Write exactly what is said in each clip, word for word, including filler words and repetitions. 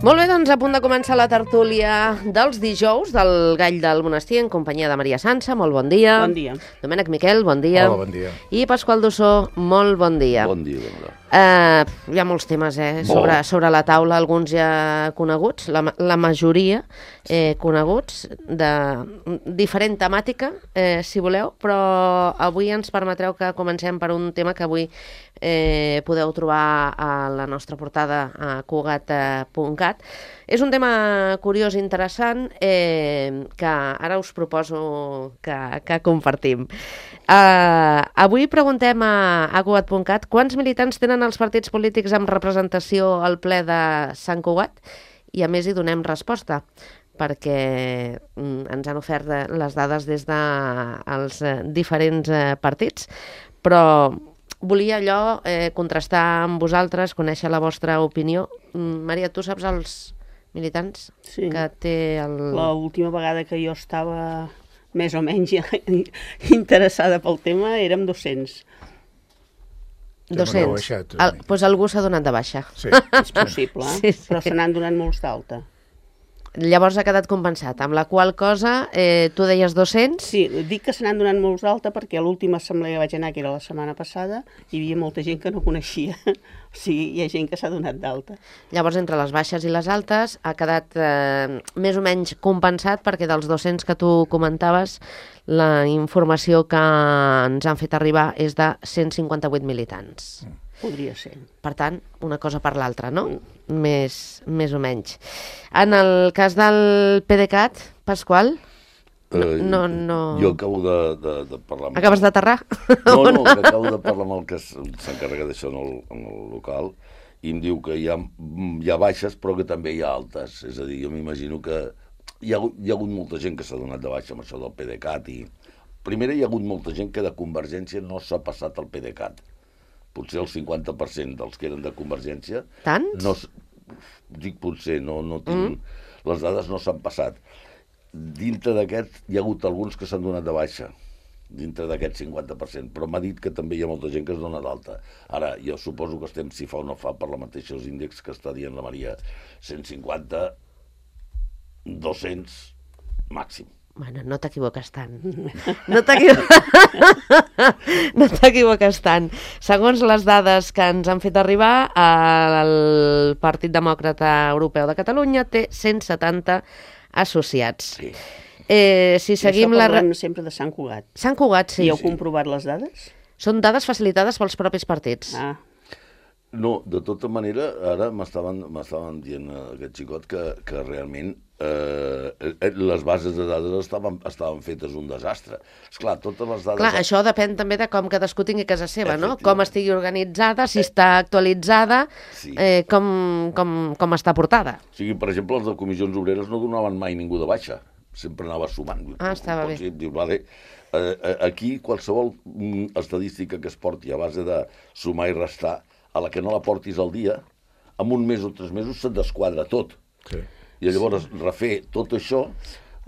Molt bé, doncs a punt de començar la tertúlia dels dijous del Gall del Monestir en companyia de Maria Sança. Molt bon dia. Bon dia. Domènec Miquel, bon dia. Hola, bon dia. I Pasqual Dussó, molt bon dia. Bon dia, Dona. Uh, hi ha molts temes eh, sobre, sobre la taula, alguns ja coneguts, la, la majoria eh, coneguts, de diferent temàtica, eh, si voleu, però avui ens permetreu que comencem per un tema que avui eh, podeu trobar a la nostra portada a cugat punt cat. És un tema curiós i interessant eh, que ara us proposo que, que compartim. Uh, avui preguntem a, a cugat punt cat quants militants tenen els partits polítics amb representació al ple de Sant Cugat, i a més hi donem resposta perquè mm, ens han ofert les dades des dels de, eh, diferents eh, partits, però volia allò eh, contrastar amb vosaltres, conèixer la vostra opinió. Mm, Maria, tu saps els militants Sí. que té el... L'última vegada que jo estava més o menys interessada pel tema érem dos-cents. dos-cents. baixat, El, doncs algú s'ha donat de baixa. Sí, És possible, Sí, sí. però se n'han donat molts d'alta. Llavors ha quedat compensat, amb la qual cosa eh, tu deies dos-cents. Sí, dic que se n'han donat molts d'alta perquè a l'última assemblea que vaig anar, que era la setmana passada, hi havia molta gent que no coneixia. O sigui, hi ha gent que s'ha donat d'alta. Llavors, entre les baixes i les altes, ha quedat eh, més o menys compensat perquè dels dos-cents que tu comentaves, la informació que ens han fet arribar és de cent cinquanta-vuit militants. Podria ser. Per tant, una cosa per l'altra, no? Més, més o menys. En el cas del PDeCAT, Pasqual, Eh, no, no... Jo acabo de, de, de parlar amb... acabes d'aterrar? No, no, que acabo de parlar amb el que s'encarrega d'això en, el, en el local i em diu que hi ha, hi ha baixes però que també hi ha altes. És a dir, jo m'imagino que hi ha, hi ha hagut molta gent que s'ha donat de baixa amb això del PDeCAT i... Primera, hi ha hagut molta gent que de Convergència no s'ha passat al PDeCAT. Potser el cinquanta per cent dels que eren de Convergència... Tants? No, dic potser, no, no tinc... Mm. Les dades no s'han passat. Dintre d'aquest hi ha hagut alguns que s'han donat de baixa, dintre d'aquest cinquanta per cent, però m'ha dit que també hi ha molta gent que es dona d'alta. Ara, jo suposo que estem, si fa o no fa, per la mateixa índexs que està dient la Maria, cent cinquanta, dos-cents, màxim. Bueno, no t'equivoques tant. No t'equivoques no t'equivoques tant. Segons les dades que ens han fet arribar, el Partit Demòcrata Europeu de Catalunya té cent setanta associats. Sí. Eh, si seguim Això la... parlem sempre de Sant Cugat. Sant Cugat, sí. I heu comprovat les dades? Són dades facilitades pels propis partits. Ah, No, de tota manera, ara m'estaven m'estaven dient eh, aquest xicot que, que realment eh, eh, les bases de dades estaven, estaven fetes un desastre. Esclar, totes les dades... Clar, això depèn també de com cadascú tingui casa seva, no? Efectivament. Com estigui organitzada, si està actualitzada, Sí. eh, com, com, com està portada. O sigui, per exemple, els de comissions obreres no donaven mai ningú de baixa. Sempre anava sumant. Ah, estava bé. Dir, diu, vale, eh, aquí qualsevol mm, estadística que es porti a base de sumar i restar, a la que no la portis al dia, en un mes o tres mesos se't desquadra tot. Sí. I llavors refer tot això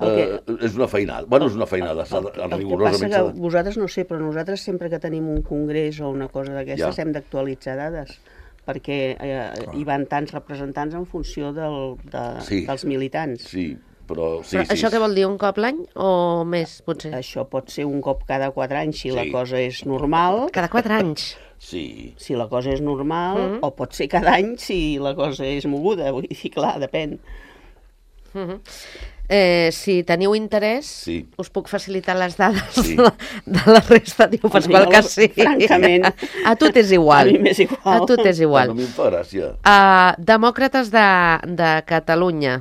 eh, El és una feinada. Bueno, és una feinada, s'ha de- el que passa rigorosament que s'ha de... vosaltres no sé, però nosaltres sempre que tenim un congrés o una cosa d'aquestes Ja. hem d'actualitzar dades, perquè eh, hi van tants representants en funció del, de, Sí. dels militants. Sí, però... Sí, Però sí, això què vol dir, un cop l'any o més, potser? Això pot ser un cop cada quatre anys si Sí. la cosa és normal, Cada quatre anys. Sí, si la cosa és normal, Mhm. o pot ser cada any si la cosa és moguda, vull dir, clar, depèn. Uh-huh. Eh, si teniu interès, Sí. us puc facilitar les dades Sí. de, de la resta. Diu Pasqual jo, que sí. francament, A tu t'és igual. a mi m'és igual. A tu t'és igual. a mi em fa gràcia. Uh, Demòcrates de, de Catalunya.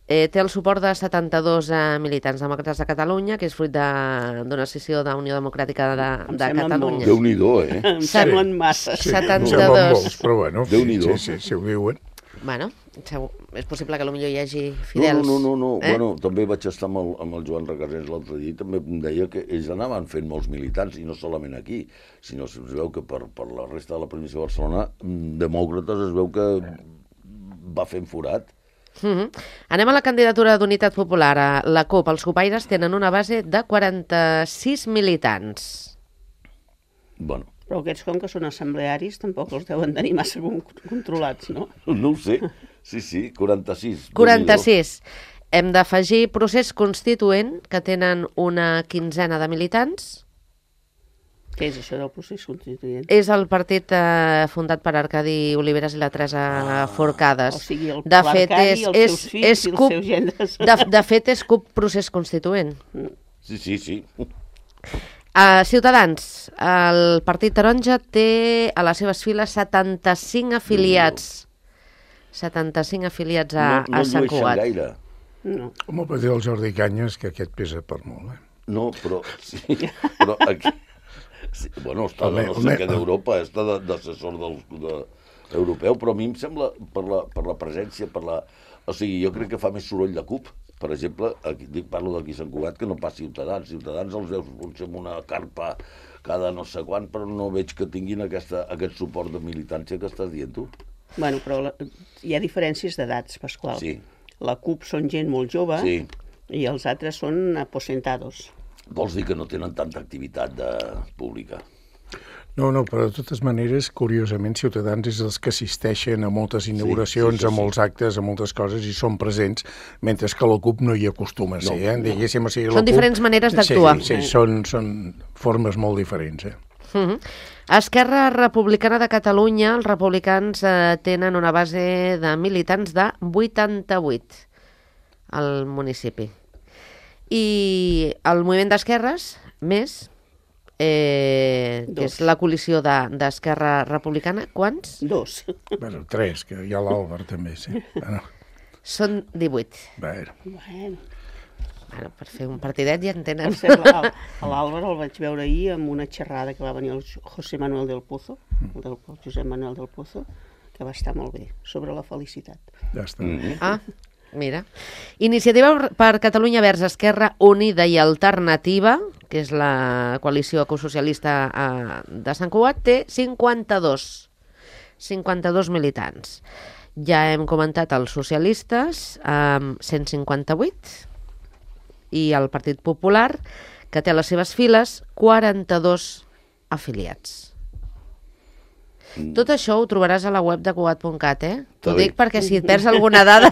Eh, té el suport de setanta-dos eh, militants demòcrates de Catalunya, que és fruit de- d'una sessió de Unió Democràtica de, Em de semblen Catalunya. molts. Déu-n'hi-do, eh? Em semblen masses. Sí, setanta-dos. em semblen molts, però bueno, Déu-n'hi-do. sí, sí, si ho diuen. Bueno, segur, és possible que potser hi hagi No, fidels. no, no, no. Eh? Bueno, també vaig estar amb el, amb el Joan Recasens l'altre dia i també em deia que ells anaven fent molts militants, i no solament aquí, sinó si es veu que per, per la resta de la província de Barcelona, mm, Demòcrates es veu que va fent forat. Uh-huh. Anem a la candidatura d'Unitat Popular. A la CUP, els copaires tenen una base de quaranta-sis militants. Bueno, Però aquests, com que són assemblearis, tampoc els deuen tenir massa con- controlats, no? no ho sé. Sí, sí, quaranta-sis. quaranta-sis. Hem d'afegir Procés Constituent, que tenen una quinzena de militants. Què és això del procés constituent? És el partit eh, fundat per Arcadi Oliveres i la Teresa ah, Forcades. O sigui, el de fet, l'Arcadi, és, els és, seus fills és i els CUP, seus gendres. De, de fet, és CUP Procés Constituent. Sí, sí, sí. Uh, Ciutadans, el Partit Taronja té a les seves files setanta-cinc afiliats. setanta-cinc afiliats a, no, no a Sant Cugat. No gaire. No. Home, per dir el Jordi Canyes, que aquest pesa per molt, eh? No, però... Sí, però aquí... Sí, bueno, està de no sé què d'Europa, està d'assessor del, de, europeu, però a mi em sembla, per la, per la presència, per la... O sigui, jo crec que fa més soroll la CUP. Per exemple, aquí, dic, parlo d'aquí a Sant Cugat, que no pas Ciutadans. Ciutadans els veus potser amb una carpa cada no sé quan, però no veig que tinguin aquesta, aquest suport de militància que estàs dient tu. Bueno, però la, hi ha diferències d'edats, Pasqual. Sí. La CUP són gent molt jove Sí. i els altres són aposentados. Vols dir que no tenen tanta activitat de... pública? No, no, però de totes maneres, curiosament, Ciutadans és els que assisteixen a moltes inauguracions, sí, sí, sí. a molts actes, a moltes coses, i són presents, mentre que la CUP no hi acostuma a ser, No, eh? Diguéssim, o sigui, la Són CUP... diferents maneres d'actuar. Sí, sí, són, són formes molt diferents, eh? Uh -huh. Esquerra Republicana de Catalunya, els republicans eh, tenen una base de militants de vuitanta-vuit al municipi. I el moviment d'esquerres, més, eh, que és la coalició d'Esquerra de, Republicana, quants? Dos. Bueno, tres, que hi ha l'Àlvar també, sí. Bueno, Són divuit. bueno. Bueno. Bueno, per fer un partidet ja en tenen. Per cert, l'À- l'Àlvar el vaig veure ahir amb una xerrada que va venir el José Manuel del Pozo, el, del, el Josep Manuel del Pozo, que va estar molt bé, sobre la felicitat. Ja està. Mm-hmm. Ah, mira. Iniciativa per Catalunya Verds Esquerra Unida i Alternativa, que és la coalició ecosocialista eh, de Sant Cugat, té cinquanta-dos. cinquanta-dos militants. Ja hem comentat els socialistes, amb cent cinquanta-vuit, i el Partit Popular, que té a les seves files quaranta-dos afiliats. Mm. Tot això ho trobaràs a la web de Cugat punt cat, eh? T'ho bé. dic perquè si et perds alguna dada,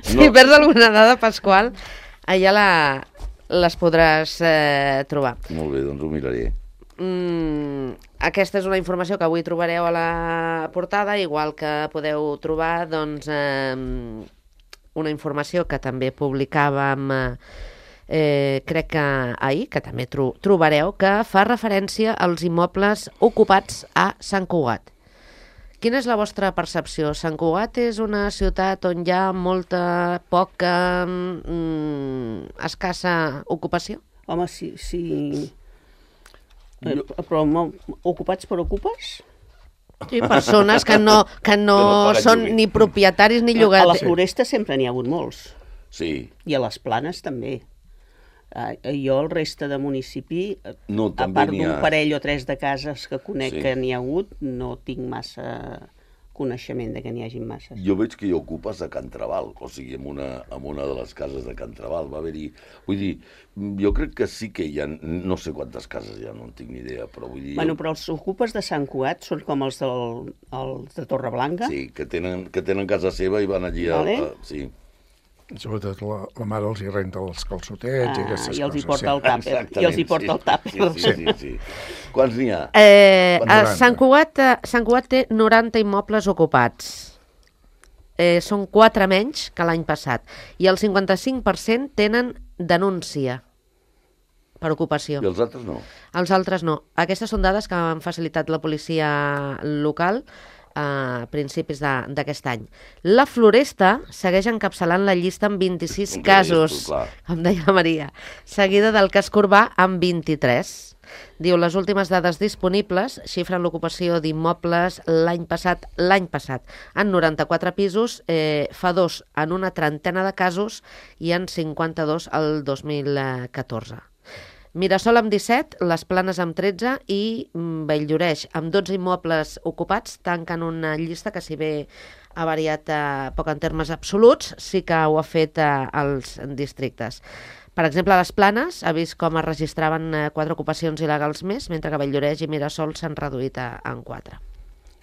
si No. perds alguna dada, Pasqual, allà la, les podràs eh, trobar. Molt bé, doncs ho miraré. Mm, aquesta és una informació que avui trobareu a la portada, igual que podeu trobar, doncs, eh, una informació que també publicàvem, eh, crec que ahir, que també tro trobareu, que fa referència als immobles ocupats a Sant Cugat. Quina és la vostra percepció? Sant Cugat és una ciutat on hi ha molta, poca, mm, escassa ocupació? Home, sí, sí. Eh, Jo- però mo- ocupats per ocupes? Sí, persones que no, que no, Que no paguen són lloguer. ni propietaris ni A la llogaters. Floresta sempre n'hi ha hagut molts. Sí. I a les Planes també. Ah, jo, el reste de municipi, eh, No, a també part n'hi d'un ha. parell o tres de cases que conec Sí. que n'hi ha hagut, no tinc massa coneixement de que n'hi hagin masses. Jo veig que hi ocupes a Can Trabal, o sigui, en una, en una de les cases de Can Trabal. Va haver-hi... Vull dir, jo crec que sí que hi ha... No sé quantes cases hi ha, no en tinc ni idea, però vull dir... Bueno, però els ocupes de Sant Cugat són com els, del, els de Torreblanca. Sí, que tenen, que tenen casa seva i van allí a... Vale. a sí. Sobretot la, la mare els hi renta els calçotets i Ah, aquestes i els hi coses. porta el tàper. Exactament, I els hi porta el tàper. Sí, sí, sí, sí, sí. Quants n'hi ha? Eh, a noranta. Sant Cugat, eh, Sant Cugat té noranta immobles ocupats. Eh, són quatre menys que l'any passat. I el cinquanta-cinc per cent tenen denúncia per ocupació. I els altres no? Els altres no. Aquestes són dades que han facilitat la policia local a principis de- d'aquest any. La Floresta segueix encapçalant la llista amb vint-i-sis Com que casos, deies tu, clar. com deia la Maria, seguida del casc urbà amb vint-i-tres. Diu, les últimes dades disponibles xifren l'ocupació d'immobles l'any passat, l'any passat, en noranta-quatre pisos, eh, fa dos en una trentena de casos i en cinquanta-dos el dos mil catorze. Mirasol amb disset, les Planes amb tretze i Bell-lloreix amb dotze immobles ocupats tanquen una llista que, si bé ha variat eh, poc en termes absoluts, sí que ho ha fet eh, als districtes. Per exemple, a les Planes ha vist com es registraven eh, quatre ocupacions il·legals més, mentre que Bell-lloreix i Mirasol s'han reduït a, en quatre.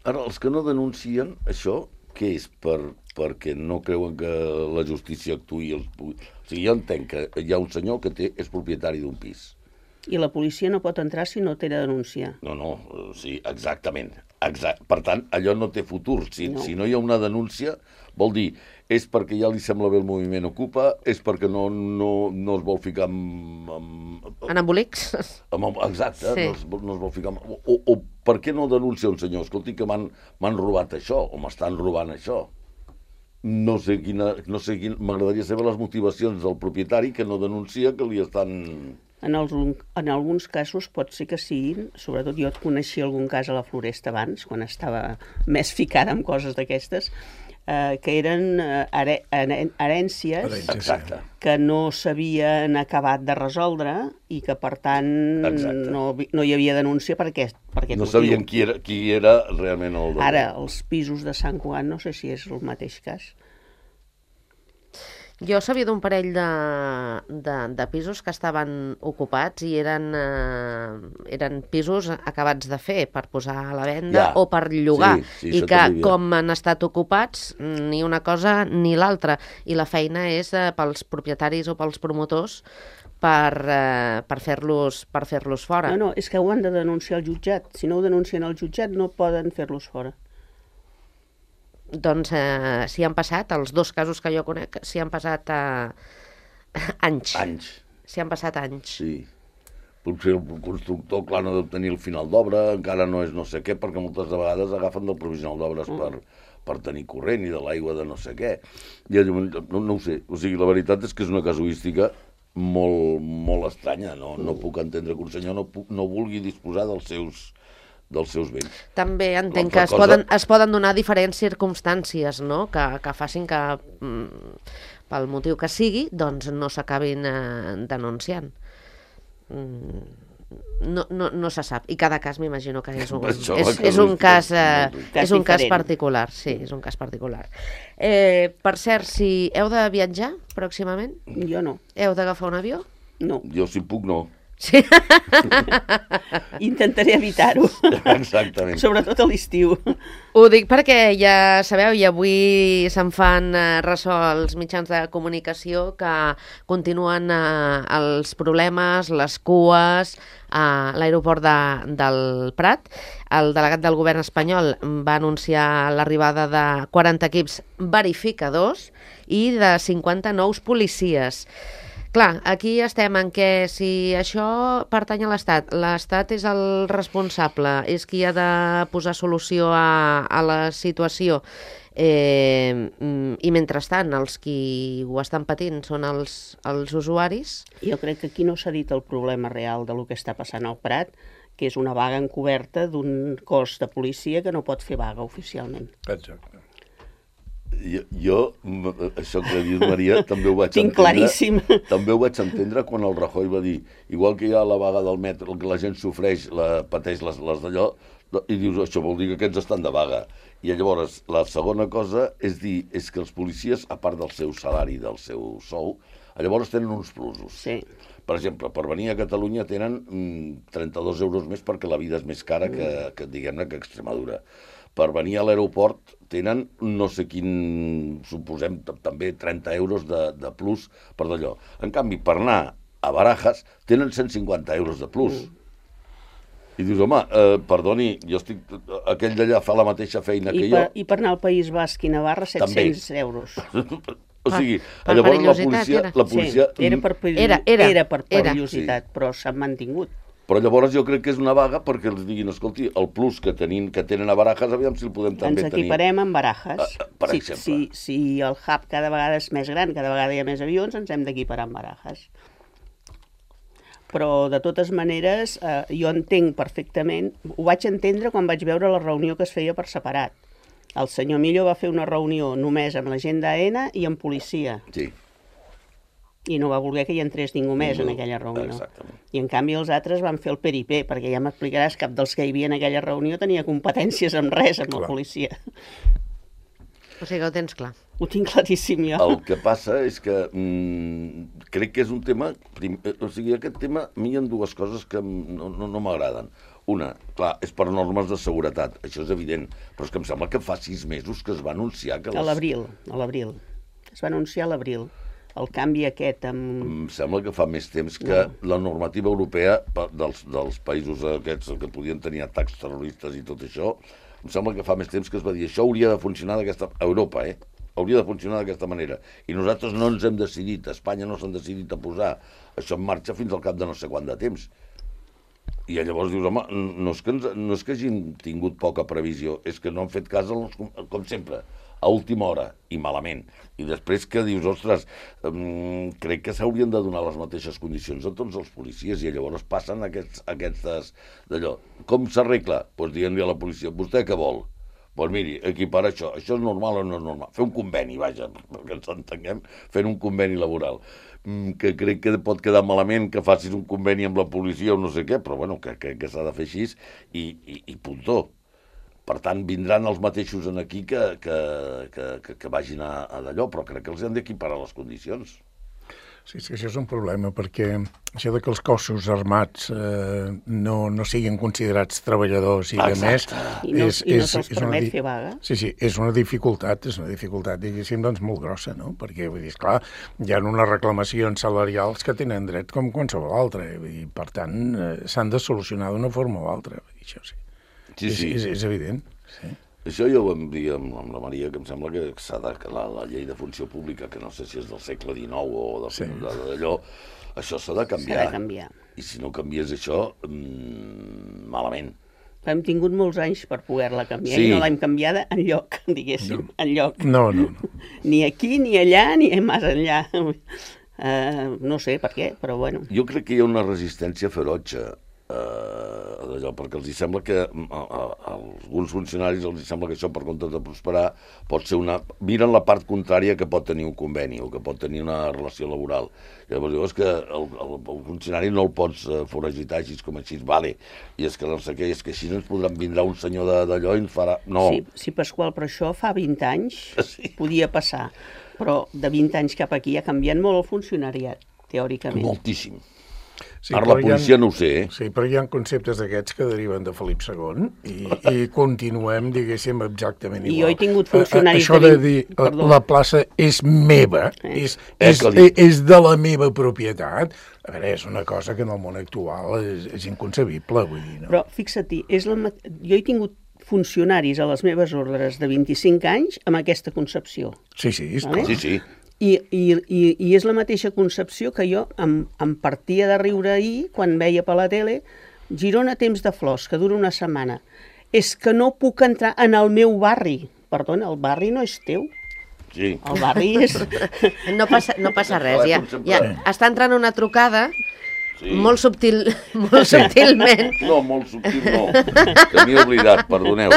Ara, els que no denuncien això, què és? Per, perquè no creuen que la justícia actuï. Els... O sigui, jo entenc que hi ha un senyor que té, és propietari d'un pis. I la policia no pot entrar si no té de denúncia. No, no, sí, exactament. Exact. Per tant, allò no té futur. Si no. si no hi ha una denúncia, vol dir, és perquè ja li sembla bé el moviment Ocupa, és perquè no, no, no es vol ficar amb... amb en embolics? Amb, exacte, sí. no, es, no es vol ficar amb... O, o per què no denuncia un senyor? Escolti, que m'han robat això, o m'estan robant això. No sé quina... No sé quina... M'agradaria saber les motivacions del propietari que no denuncia que li estan... En, els, en alguns casos pot ser que siguin, sobretot jo et coneixia algun cas a la Floresta abans, quan estava més ficada en coses d'aquestes, eh, que eren eh, herències Exacte. que no s'havien acabat de resoldre i que, per tant, no, no hi havia denúncia per aquest, per aquest no motiu. sabien qui era, qui era realment el... Ara, els pisos de Sant Cugat, no sé si és el mateix cas. Jo sabia d'un parell de, de, de pisos que estaven ocupats i eren, eh, eren pisos acabats de fer per posar a la venda ja. o per llogar. Sí, sí, I que, com han estat ocupats, ni una cosa ni l'altra. I la feina és eh, pels propietaris o pels promotors per, eh, per fer-los per fer-los fora. No, no, és que ho han de denunciar al jutjat. Si no ho denuncien al jutjat, no poden fer-los fora. Doncs eh, s'hi han passat, els dos casos que jo conec, s'hi han passat eh, anys. Anys. S'hi han passat anys. Sí. Potser el constructor, clar, no deu tenir el final d'obra, encara no és no sé què, perquè moltes vegades agafen del provisional d'obres mm. per, per tenir corrent i de l'aigua de no sé què. I, no, no ho sé. O sigui, la veritat és que és una casuística molt, molt estranya. No, no puc entendre que un senyor no, puc, no vulgui disposar dels seus... dels seus béns. També entenc que es, cosa... poden, es poden donar diferents circumstàncies, no? que, que facin que, mm, pel motiu que sigui, doncs no s'acabin eh, denunciant. Mm, no, no, no se sap. I cada cas m'imagino que és un, és, és un cas, eh, és un cas particular. Sí, és un cas particular. Eh, per cert, si heu de viatjar pròximament? Jo no. Heu d'agafar un avió? No. Jo, si puc, no. Sí. Intentaré evitar-ho. Exactament. Sobretot a l'estiu. Ho dic perquè ja sabeu, i avui se'n fan eh, ressò els mitjans de comunicació que continuen eh, els problemes, les cues a l'aeroport de, del Prat. El delegat del govern espanyol va anunciar l'arribada de quaranta equips verificadors i de cinquanta nous policies. Clar, aquí estem en què si això pertany a l'Estat, l'Estat és el responsable, és qui ha de posar solució a, a la situació, eh, i mentrestant els qui ho estan patint són els, els usuaris. Jo crec que aquí no s'ha dit el problema real de lo que està passant al Prat, que és una vaga encoberta d'un cos de policia que no pot fer vaga oficialment. Exacte. Jo, jo, això que dius, Maria, també ho vaig Tinc entendre. claríssim. També ho vaig entendre quan el Rajoy va dir, igual que hi ha la vaga del metro, que la gent sofreix, la, pateix les, les d'allò, i dius, això vol dir que aquests estan de vaga. I llavors, la segona cosa és dir, és que els policies, a part del seu salari, del seu sou, llavors tenen uns plusos. Sí. Per exemple, per venir a Catalunya tenen mm, trenta-dos euros més perquè la vida és més cara que, que diguem-ne, que Extremadura. Per venir a l'aeroport tenen no sé quin, suposem, també trenta euros de, de plus per d'allò. En canvi, per anar a Barajas tenen cent cinquanta euros de plus. Mm. I dius, home, eh, perdoni, jo estic... aquell d'allà fa la mateixa feina I que per, jo. I per anar al País Basc i Navarra, set-cents euros. O sigui, per llavors la perillositat policia... era. La policia Sí, era per, perill... Era, era, era per era. perillositat, sí. Però s'han mantingut. Però llavors jo crec que és una vaga perquè els diguin, escolti, el plus que, tenin, que tenen a Barajas, aviam si el podem també Ens tenir. Ens equiparem amb Barajas. Uh, per si, exemple. Si, si el hub cada vegada és més gran, cada vegada hi ha més avions, ens hem d'equiparar amb Barajas. Però, de totes maneres, eh, jo entenc perfectament, ho vaig entendre quan vaig veure la reunió que es feia per separat. El senyor Millo va fer una reunió només amb la gent d'A E N A i amb policia. Sí. I no va voler que hi entrés ningú més no, en aquella reunió. Exactament. I en canvi els altres van fer el peripé, perquè ja m'explicaràs, cap dels que hi havia en aquella reunió tenia competències amb res, amb la policia. O sigui que ho tens clar. Ho tinc claríssim jo. El que passa és que mm, crec que és un tema... Prim, o sigui, aquest tema, a mi hi ha dues coses que no, no, no m'agraden. una, clar, és per normes de seguretat, això és evident, però és que em sembla que fa sis mesos que es va anunciar que... Les... A l'abril, a l'abril. Es va anunciar a l'abril. El canvi aquest amb... Em sembla que fa més temps que no. La normativa europea dels, dels països aquests que podien tenir atacs terroristes i tot això, em sembla que fa més temps que es va dir això hauria de funcionar d'aquesta... Europa, eh? Hauria de funcionar d'aquesta manera. I nosaltres no ens hem decidit, a Espanya no s'han decidit a posar això en marxa fins al cap de no sé quant de temps. I llavors dius, home, no és que, ens, no és que hagin tingut poca previsió, és que no han fet cas, als, com sempre, a última hora, i malament. I després que dius, ostres, um, crec que s'haurien de donar les mateixes condicions a tots els policies, i llavors passen aquests, aquestes d'allò. Com s'arregla? Doncs pues dient-li a la policia, vostè què vol? Doncs pues miri, equipar això, això és normal o no és normal? Fer un conveni, vaja, perquè ens entenguem, fent un conveni laboral, que crec que pot quedar malament que facis un conveni amb la policia o no sé què, però bueno, que crec que s'ha de fer així i, i, i puntó. Per tant, vindran els mateixos en aquí que, que, que, que, que vagin a, a d'allò, però crec que els han d'equiparar les condicions. Sí, sí, això és un problema, perquè això de que els cossos armats eh, no, no siguin considerats treballadors i de més... I no, és, i no se'ls permet fer vaga. Sí, sí, és una dificultat, és una dificultat, diguéssim, doncs molt grossa, no? Perquè, vull dir, esclar, hi ha unes reclamacions salarials que tenen dret com qualsevol altre, i per tant eh, s'han de solucionar d'una forma o altra, això sí. Sí, sí. És, és, és evident, sí. Això jo ho vam dir amb, amb la Maria, que em sembla que s'ha de, que la, la llei de funció pública, que no sé si és del segle dinou o de, sí. d'allò, això s'ha de canviar. S'ha de canviar. I si no canvies això, mmm, malament. Hem tingut molts anys per poder-la canviar sí. i no l'hem canviada enlloc, diguéssim, no. enlloc. No, no, no. Ni aquí, ni allà, ni més enllà. Uh, no sé per què, però bueno. Jo crec que hi ha una resistència ferotge Uh, d'allò, perquè els sembla que a, a, a alguns funcionaris els sembla que això, per compte de prosperar, pot ser una... Miren la part contrària que pot tenir un conveni o que pot tenir una relació laboral. Llavors dius que el, el, el funcionari no el pots uh, foragitar així com així, vale, i és que no sé què, és que així ens podran vindrà un senyor d'allò i ens farà... No. Sí, sí, Pasqual, però això fa vint anys sí. podia passar, però de vint anys cap aquí ha canviat molt el funcionariat, teòricament. Moltíssim. Sí, ara la policia ha, no ho sé, eh? Sí, però hi ha conceptes d'aquests que deriven de Felip segon i, i continuem, diguéssim, exactament igual. I jo he tingut funcionaris... Això de dir, Perdó. la plaça és meva, eh. és, és, és de la meva propietat, a veure, és una cosa que en el món actual és, és inconcebible, vull dir, no? Però fixa't, és la, jo he tingut funcionaris a les meves ordres de vint-i-cinc anys amb aquesta concepció. Sí, sí, és vale? Sí, sí. I, i, i, i és la mateixa concepció que jo em, em partia de riure ahir quan veia per la tele Girona temps de flors, que dura una setmana. És que no puc entrar en el meu barri. Perdona, el barri no és teu. Sí. El barri és... No passa, no passa res, ja, ja està entrant una trucada sí. molt, subtil, molt subtilment. No, molt subtil no, que m'he oblidat, perdoneu.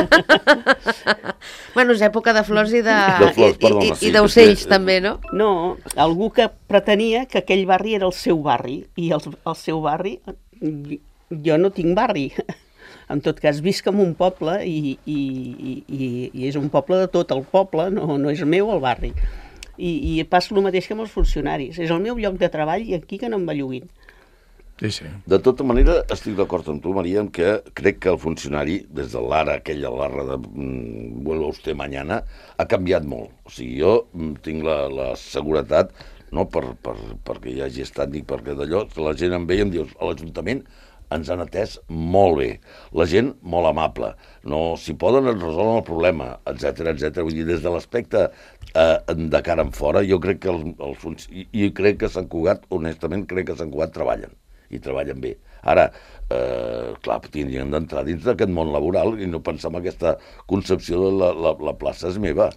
Bueno, és època de flors i de, de flors, perdona, i, i, sí, i d'ocells sí, també, no? No, algú que pretenia que aquell barri era el seu barri, i el, el seu barri, jo no tinc barri. En tot cas, visc en un poble i, i, i, i és un poble de tot el poble, no, no és meu el barri. I, i passa el mateix que amb els funcionaris. És el meu lloc de treball i aquí que no em belluguin. Sí, sí. De tota manera, estic d'acord amb tu, Maria, en que crec que el funcionari, des de l'ara, aquella l'arra de mm, vuelva usted mañana, ha canviat molt. O sigui, jo mm, tinc la, la seguretat, no per, per, perquè hi hagi estat ni perquè d'allò, la gent em veia i em diu, a l'Ajuntament ens han atès molt bé, la gent molt amable, no, si poden es resolen el problema, etcètera, etcètera. Vull dir, des de l'aspecte eh, de cara en fora, jo crec que els, els i, i crec que Sant Cugat, honestament, crec que Sant Cugat treballen. I treballen bé. Ara, eh, clar, tindrien d'entrar dins d'aquest món laboral i no pensar en aquesta concepció de la, la, la plaça és meva.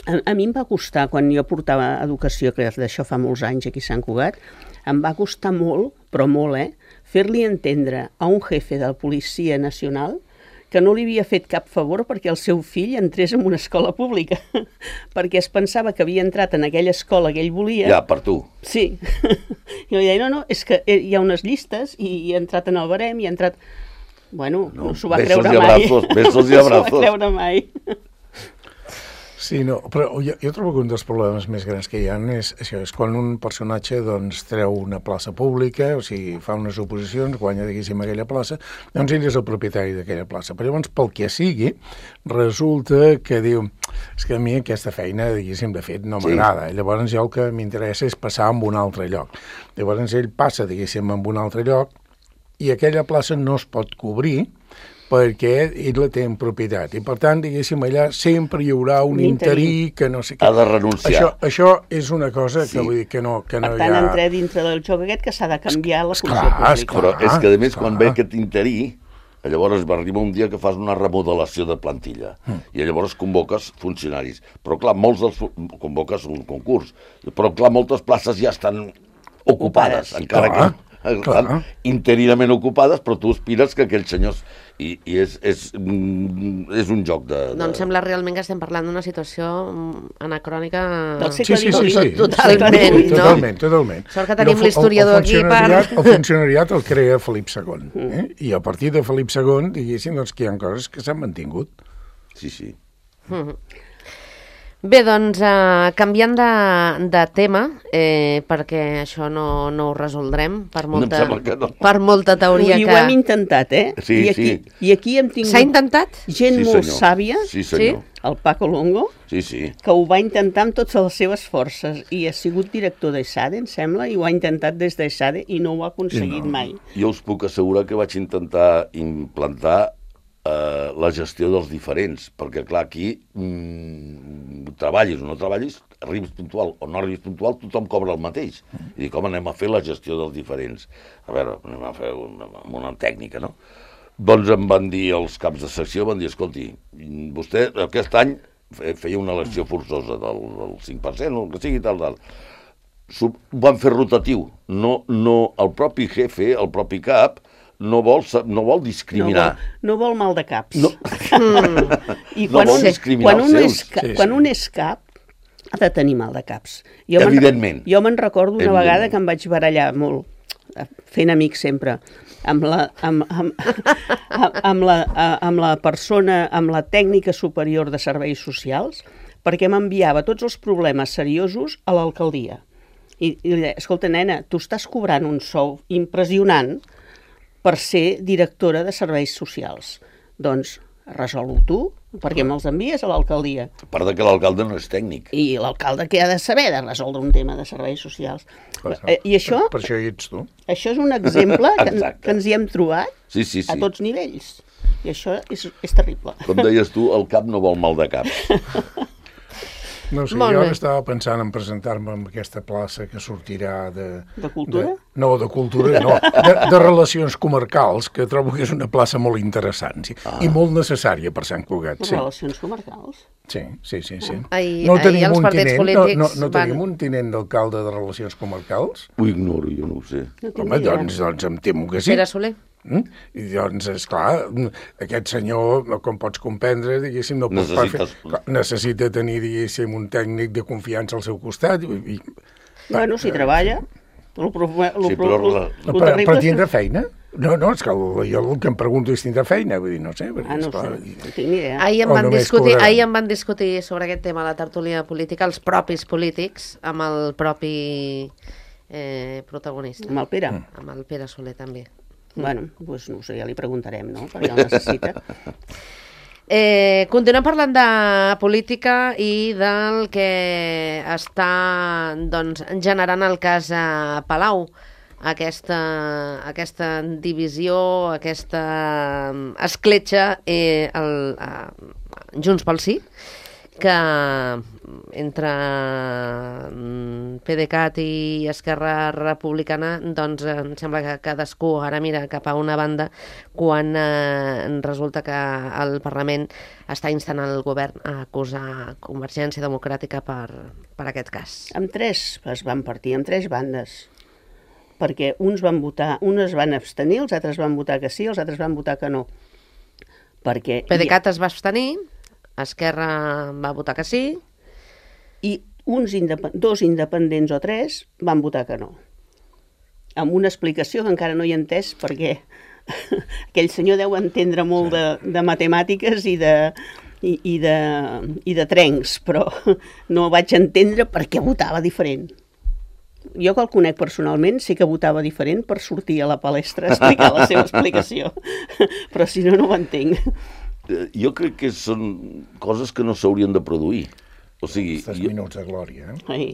A, a mi em va costar, quan jo portava educació, que d'això fa molts anys aquí a Sant Cugat, em va costar molt, però molt, eh, fer-li entendre a un jefe de la Policia Nacional que no li havia fet cap favor perquè el seu fill entrés en una escola pública, perquè es pensava que havia entrat en aquella escola que ell volia. Ja, per tu. Sí. I jo deia, no, no, és que hi ha unes llistes i he entrat en el barem i he entrat... Bueno, no, no s'ho va creure mai. Besos i abrazos, besos i abrazos. No s'ho va creure mai. Sí, no, però jo, jo trobo que un dels problemes més grans que hi ha és, això, és quan un personatge doncs, treu una plaça pública, o sigui, fa unes oposicions, guanya, diguéssim, aquella plaça, doncs ell és el propietari d'aquella plaça. Però llavors, pel que sigui, resulta que diu, és que a mi aquesta feina, diguéssim, de fet, no m'agrada. Sí. Llavors jo el que m'interessa és passar a un altre lloc. Llavors ell passa, diguéssim, a un altre lloc i aquella plaça no es pot cobrir perquè ell la té en propietat. I, per tant, diguéssim, allà sempre hi haurà un interí que no sé què. Ha de renunciar. Això, això és una cosa que, sí. vull dir, que no, que no per hi ha... tant, entra dintre del joc aquest que s'ha de canviar la funció Esclar, pública. esclar. Però és que, a més, esclar. quan ve aquest interí, llavors va arribar un dia que fas una remodelació de plantilla mm. i llavors convoques funcionaris. Però, clar, molts dels... convoques un concurs. Però, clar, moltes places ja estan ocupades, ocupades. encara clar, que estan clar. interinament ocupades, però tu aspires que aquells senyors... I, i és, és, és un joc de, de... No em sembla realment que estem parlant d'una situació anacrònica... Del segle sí, sí, sí, sí. Totalment, sí, no? Totalment, totalment. Sort que tenim l'historiador aquí per... El funcionariat el crea Felip segon. Eh? I a partir de Felip segon, diguéssim, doncs, que hi ha coses que s'han mantingut. Sí, sí. Mm-hmm. Bé, doncs, uh, canviant de, de tema, eh, perquè això no, no ho resoldrem per molta, no no. per molta teoria I que... ho hem intentat, eh? Sí, I aquí, sí. I aquí hem tingut... S'ha intentat? Gent sí, molt senyor. sàvia, sí, senyor. el Paco Longo, sí, sí. que ho va intentar amb totes les seves forces i ha sigut director d'ESADE, em sembla, i ho ha intentat des d'ESADE i no ho ha aconseguit no. mai. Jo us puc assegurar que vaig intentar implantar eh, la gestió dels diferents, perquè, clar, aquí mm, treballis o no treballis, arribis puntual o no arribis puntual, tothom cobra el mateix. I dic, home, anem a fer la gestió dels diferents. A veure, anem a fer una, una tècnica, no? Doncs em van dir els caps de secció, van dir, escolti, vostè aquest any feia una elecció forçosa del, del cinc per cent, o el que sigui, tal, tal. Ho van fer rotatiu. No, no, el propi jefe, el propi cap, no vol, no vol discriminar. No vol, no vol mal de caps. No. I no quan vol un, discriminar quan els un seus. És, ca, Sí, sí. quan un és cap, ha de tenir mal de caps. Jo Evidentment. Jo me'n recordo una Evidentment. vegada que em vaig barallar molt, fent amics sempre, amb la, amb, amb, amb, la, amb la persona, amb la tècnica superior de serveis socials, perquè m'enviava tots els problemes seriosos a l'alcaldia. I, i li deia, escolta, nena, tu estàs cobrant un sou impressionant per ser directora de serveis socials. Doncs resol-ho tu, perquè me'ls envies a l'alcaldia. A part de que l'alcalde no és tècnic. I l'alcalde què ha de saber de resoldre un tema de serveis socials? Eh, I això, Per, per això hi ets tu. això és un exemple que, Exacte. que ens hi hem trobat Sí, sí, sí. a tots nivells. I això és, és terrible. Com deies tu, el cap no vol mal de caps. No sé, Molt jo bé. ara estava pensant en presentar-me en aquesta plaça que sortirà de... De cultura? De, no, de cultura, no. De, de relacions comarcals, que trobo que és una plaça molt interessant sí, ah. i molt necessària per Sant Cugat. Les Sí, relacions comarcals. sí, sí. sí, sí. Ahir- no ahir tenim els un partits tinent, polítics no, no, no van- tenim un tinent d'alcalde de relacions comarcals? Ho ignoro, jo no ho sé. No tinc Home, idea. doncs, doncs em temo que sí. Pere Soler. Mm? I doncs, esclar, aquest senyor, com pots comprendre, diguéssim, no pot Necessites- fer, necessita tenir, diguéssim, un tècnic de confiança al seu costat. I, i, Bueno, si treballa, el, pro, el, Sí, però el, la- el, no, però, terrible però és- tindrà feina? No, no, és que el, jo el que em pregunto és tindrà feina, vull dir, no sé. Perquè, Ah, no ho esclar, sé, no tinc ni idea. Ahir en, O van només discutir, cobraran. ahir en van discutir sobre aquest tema a la tertúlia política els propis polítics amb el propi eh, protagonista, Amb el Pere. Mm. amb el Pere Soler també. Bueno, doncs no ho sé, ja li preguntarem, no? Perquè el necessita. Eh, continuem parlant de política i del que està doncs, generant el cas a Palau. Aquesta, aquesta divisió, aquesta mm, escletxa eh, el, eh, Junts pel Sí, que entre mm, PDeCAT i Esquerra Republicana doncs em sembla que cadascú ara mira cap a una banda quan eh, resulta que el Parlament està instant el govern a acusar Convergència Democràtica per, per aquest cas. Amb tres es van partir, amb tres bandes. Perquè uns van votar, uns van abstenir, els altres van votar que sí, els altres van votar que no. Perquè PDeCAT es va abstenir, Esquerra va votar que sí, i uns indep dos independents o tres van votar que no. Amb una explicació que encara no hi he entès perquè aquell senyor deu entendre molt de, de matemàtiques i de, i, i, de, i de trencs, però no vaig entendre per què votava diferent. Jo que el conec personalment sí que votava diferent per sortir a la palestra a explicar la seva explicació, però si no, no ho entenc. Jo crec que són coses que no s'haurien de produir. O sigui, Aquests jo, minuts de glòria, eh? Ai,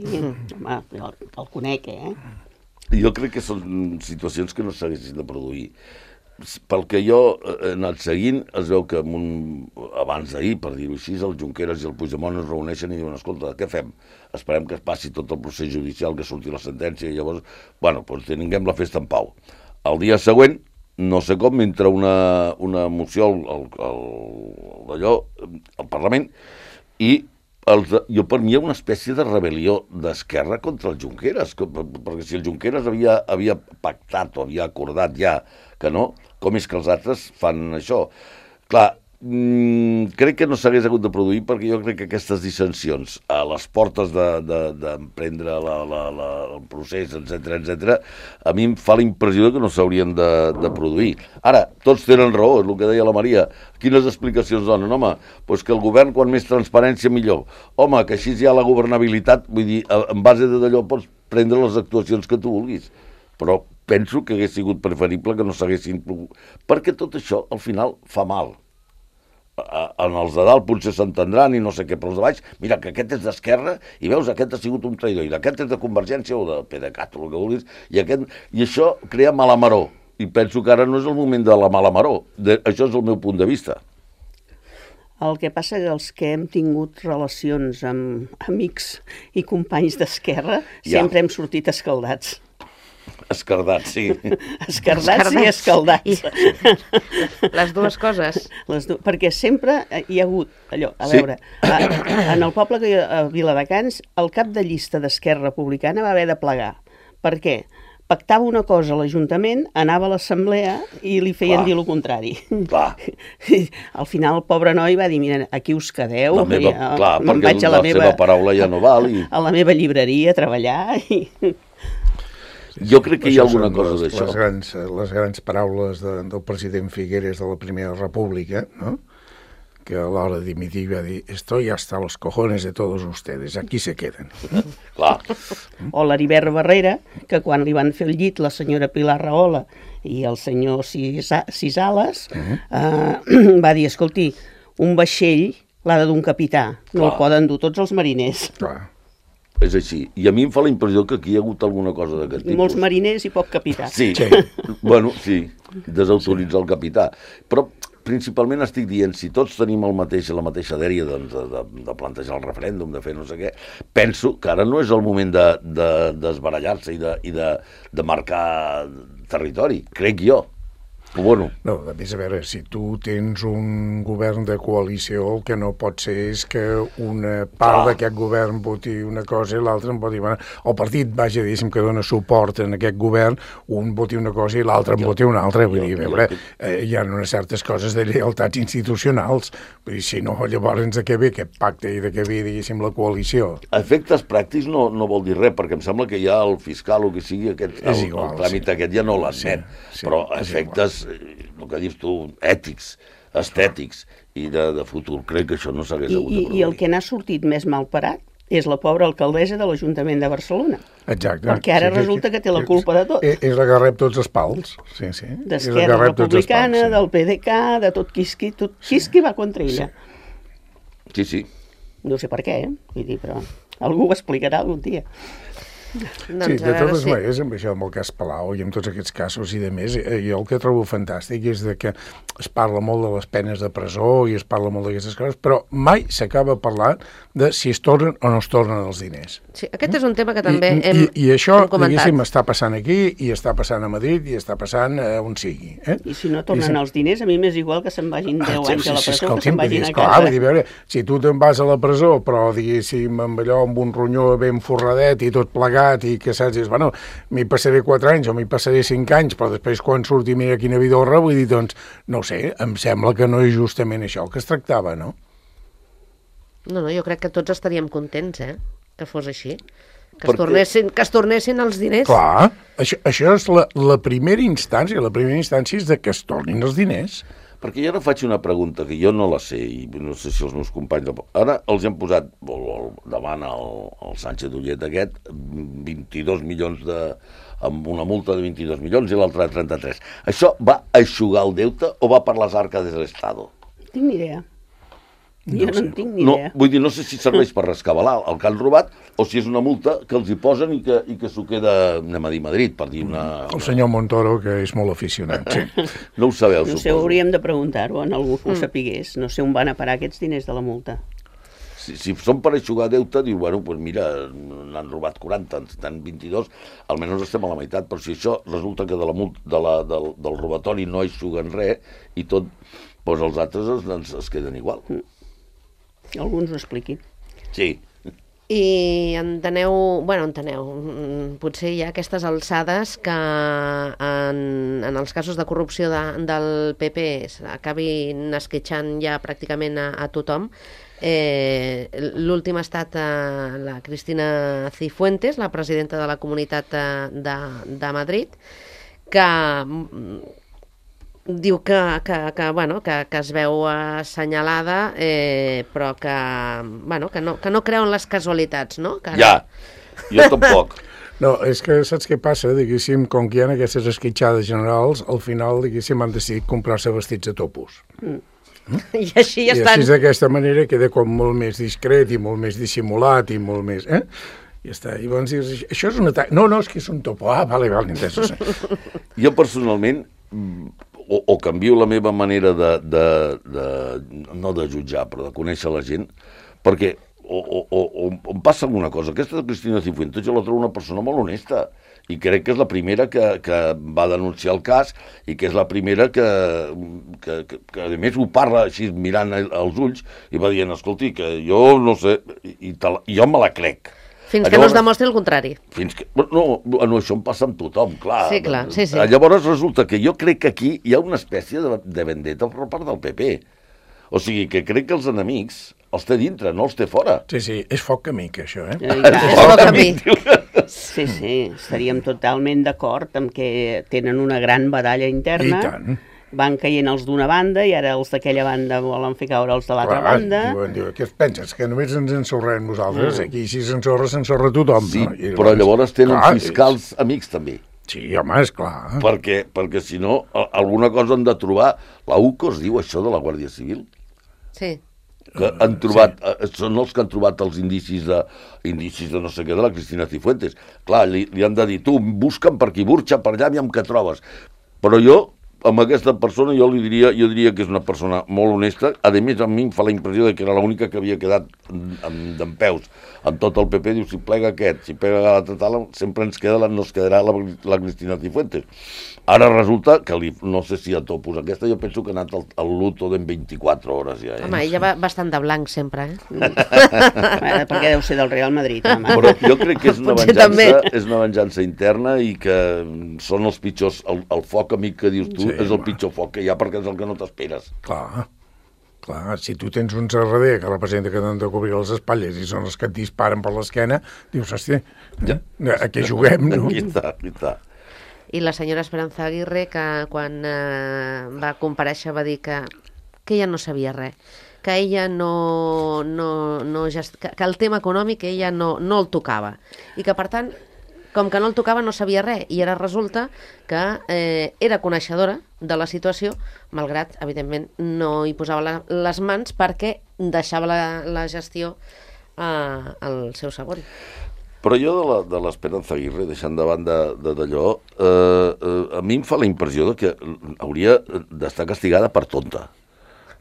home, jo el conec, eh? jo crec que són situacions que no s'haguessin de produir. Pel que jo he anat seguint, es veu que un, abans d'ahir, per dir-ho així, el Junqueras i el Puigdemont es reuneixen i diuen, escolta, què fem? Esperem que es passi tot el procés judicial, que surti la sentència, i llavors, bueno, doncs tinguem la festa en pau. El dia següent, no sé com, entra una, una moció al, al, al, allò, al Parlament, i els, jo per mi hi ha una espècie de rebel·lió d'Esquerra contra el Junqueras, que, perquè si el Junqueras havia, havia pactat o havia acordat ja que no, com és que els altres fan això? Clar, mmm, crec que no s'hagués hagut de produir perquè jo crec que aquestes dissensions a les portes d'emprendre de, de la, la, la, el procés, etcètera, etcètera, a mi em fa la impressió que no s'haurien de, de produir. Ara, tots tenen raó, és el que deia la Maria. Quines explicacions donen? Home, doncs que el govern, quan més transparència, millor. Home, que així hi ha la governabilitat, vull dir, en base d'allò pots prendre les actuacions que tu vulguis. Però penso que hagués sigut preferible que no s'haguessin... Perquè tot això, al final, fa mal. En els de dalt potser s'entendran i no sé què, però els de baix, mira, que aquest és d'Esquerra i veus, aquest ha sigut un traïdor, i aquest és de Convergència o de PDeCAT o el que vulguis, i, aquest... i això crea mala maror. I penso que ara no és el moment de la mala maror. De... Això és el meu punt de vista. El que passa que els que hem tingut relacions amb amics i companys d'Esquerra ja. sempre hem sortit escaldats. Escardats, sí. Escardats, escardats i escaldats. I... Les dues coses. Les du... Perquè sempre hi ha hagut, allò, a sí. veure, a, en el poble que hi ha a Viladecans, el cap de llista d'Esquerra Republicana va haver de plegar. Per què? Pactava una cosa a l'Ajuntament, anava a l'assemblea i li feien Clar. dir el contrari. Clar. Al final el pobre noi va dir, mira, aquí us quedeu. La meva, ja, clar, perquè vaig a la, la meva, seva paraula ja no val. I... A la meva llibreria a treballar i... Jo crec que hi ha alguna cosa d'això. Les grans, les grans paraules de, del president Figueres de la Primera República, no? Que a l'hora de dimitir va dir «Estoy hasta los cojones de todos ustedes, aquí se queden». Clar. O l'Heribert Barrera, que quan li van fer el llit la senyora Pilar Rahola i el senyor Cisales, uh-huh. eh, va dir «Escolti, un vaixell l'ha de dur un capità, no Clar. el poden dur tots els mariners». Clar. És així. I a mi em fa la impressió que aquí hi ha hagut alguna cosa d'aquest tipus. Molts mariners i poc capità. Sí, sí. Bueno, sí, desautoritzar el capità. Però principalment estic dient, si tots tenim el mateix, la mateixa dèria doncs, de, de, de plantejar el referèndum, de fer no sé què, penso que ara no és el moment de, de, desbarallar-se i, de, i de, de marcar territori, crec jo. Bueno. No, a més, a veure, si tu tens un govern de coalició, el que no pot ser és que una part ah. d'aquest govern voti una cosa i l'altra en voti... Bueno, el partit, vaja, diguéssim, que dona suport en aquest govern, un voti una cosa i l'altre en voti una altra. Vull dir, a veure, eh, hi ha unes certes coses de lleialtats institucionals. Vull dir, si no, llavors de què ve aquest pacte i de què ve, diguéssim, la coalició? A efectes pràctics no, no vol dir res, perquè em sembla que ja el fiscal o que sigui, aquest, el, igual, el tràmit sí. aquest ja no l'admet. Sí, sí, però a efectes... el que dius tu, ètics, estètics i de, de futur. Crec que això no s'hagués hagut de produir. I el que n'ha sortit més mal parat és la pobra alcaldessa de l'Ajuntament de Barcelona. Exacte. Perquè ara sí, resulta que té la culpa de tot. És la que rep tots els pals. Sí, sí. D'Esquerra Republicana, pals, sí. del PDeCAT, de tot Quisqui, tot Quisqui va contra ella. Sí, sí. No sé per què, eh? Vull dir, però algú ho explicarà algun dia. Doncs sí, de totes maneres, amb això, amb el cas Palau i amb tots aquests casos i de més, jo el que trobo fantàstic és de que es parla molt de les penes de presó i es parla molt d'aquestes coses, però mai s'acaba parlant de si es tornen o no es tornen els diners. Sí, aquest és un tema que també I, hem, i, i això, hem comentat. diguéssim, està passant aquí i està passant a Madrid i està passant a on sigui. Eh? I si no tornen I si... els diners, a mi m'és igual que se'n vagin deu anys a la presó, que se'n vagin a casa. Clar, vull dir, veure, si tu te'n vas a la presó, però, diguéssim, amb allò, amb un ronyó ben forradet i tot plegat i que saps, bueno, m'hi passaré quatre anys o m'hi passaré cinc anys, però després quan surti mira quina vidorra, vull dir, doncs, no ho sé, em sembla que no és justament això el que es tractava, no? No, no, jo crec que tots estaríem contents, eh?, que fos així. Que es, tornessin, que es tornessin els diners. Clar, això, això és la, la primera instància, la primera instància és de que es tornin els diners. Perquè jo ara faig una pregunta que jo no la sé, i no sé si els meus companys... Ara els hem posat, o, o, davant el, el Sánchez Ullet aquest, vint-i-dos milions de... amb una multa de vint-i-dos milions i l'altra de trenta-tres. Això va eixugar el deute o va per les arques de l'Estado? Tinc ni idea. Jo no, no en tinc ni no, idea. Vull dir, no sé si serveix per rescabalar el que han robat o si és una multa que els hi posen i que, i que s'ho queda, anem a dir, Madrid, per dir una... El senyor Montoro, que és molt aficionat, sí. No ho sabeu, No sé, suposo. hauríem de preguntar-ho en algú que ho sapigués. No sé on van a parar aquests diners de la multa. Si, si són per eixugar deute, diu, bueno, pues mira, n'han robat quaranta, n'han vint-i-dos, almenys estem a la meitat, però si això resulta que de la multa, de la, del, del robatori no eixuguen res i tot, doncs els altres es, es, es queden igual. Mm. Algú ens ho expliqui. Sí. I enteneu, bueno, enteneu, potser hi ha aquestes alçades que en, en els casos de corrupció de, del P P acabin esquitxant ja pràcticament a, a tothom. Eh, L'últim ha estat eh, la Cristina Cifuentes, la presidenta de la Comunitat de, de Madrid, que diu que, que, que, bueno, que, que es veu assenyalada, eh, però que, bueno, que, no, que no creu en les casualitats, no? Que ja, jo tampoc. No, és que saps què passa? Diguéssim, com que hi ha aquestes esquitxades generals, al final, diguéssim, han decidit comprar-se vestits a topos. Mm. Mm? I així ja I estan. així d'aquesta manera queda com molt més discret i molt més dissimulat i molt més... Eh? Ja està. I llavors dius, això és un atac. No, no, és que és un topo. Ah, vale, vale, entès. Jo personalment... O, o canvio la meva manera de, de, de, no de jutjar, però de conèixer la gent, perquè o, o, o, o em passa alguna cosa. Aquesta de Cristina Cifuentes jo la trobo una persona molt honesta i crec que és la primera que, que va denunciar el cas i que és la primera que, que, que, que a més ho parla així mirant als ulls i va dient, escolti, que jo no sé, i, i te la, jo me la crec. Fins que llavors, no es demostri el contrari. Fins que, no, no, això em passa amb tothom, clar. Sí, clar, sí, sí. Llavors resulta que jo crec que aquí hi ha una espècie de, de vendetta per part del P P. O sigui, que crec que els enemics els té dintre, no els té fora. Sí, sí, és foc amic, això, eh? Eh, clar. És foc amic. Sí, sí, estaríem totalment d'acord amb que tenen una gran batalla interna. I tant. Van caient els d'una banda i ara els d'aquella banda volen fer caure els de l'altra banda. Diuen, diuen, què et penses? Que només ens ensorrem nosaltres? Mm. Aquí si s'ensorra, s'ensorra tothom. Sí, no? I però llavors tenen clar, fiscals és... amics també. Sí, home, és clar. Perquè, perquè si no, alguna cosa han de trobar. La U C O es diu això de la Guàrdia Civil? Sí. Que han trobat, sí. Són els que han trobat els indicis de, indicis de no sé què de la Cristina Cifuentes. Clar, li, li han de dir, tu, busca'm per aquí, burxa per allà, aviam què trobes. Però jo, amb aquesta persona, jo li diria, jo diria que és una persona molt honesta. A més, a mi em fa la impressió de que era l'única que havia quedat d'en peus amb tot el P P. Diu, si plega aquest, si plega l'altre tal, sempre ens queda, no es quedarà la, la Cristina Cifuentes. Ara resulta que, li, no sé si a topos aquesta, jo penso que ha anat al, al luto d'en vint-i-quatre hores ja. Eh? Home, ella va bastant de blanc sempre, eh? Bueno, perquè deu ser del Real Madrid, home. Però jo crec que és una Potser venjança, també. és una venjança interna i que són els pitjors, el, el foc amic que dius tu, Sí, és el home. pitjor foc que hi ha perquè és el que no t'esperes. Clar, clar, si tu tens un serrader que representa que t'han de cobrir les espatlles i són els que et disparen per l'esquena, dius, hòstia, Ja. a què juguem, no? Aquí està, aquí està. I la senyora Esperanza Aguirre, que quan eh, va comparèixer va dir que, que ella no sabia res, que ella no, no, no gest... que, que el tema econòmic ella no, no el tocava i que per tant, com que no el tocava no sabia res i ara resulta que eh, era coneixedora de la situació, malgrat, evidentment, no hi posava la, les mans perquè deixava la, la gestió eh, al seu sabor. Però jo de l'Esperanza Aguirre, deixant de banda d'allò, eh, eh, a mi em fa la impressió de que hauria d'estar castigada per tonta.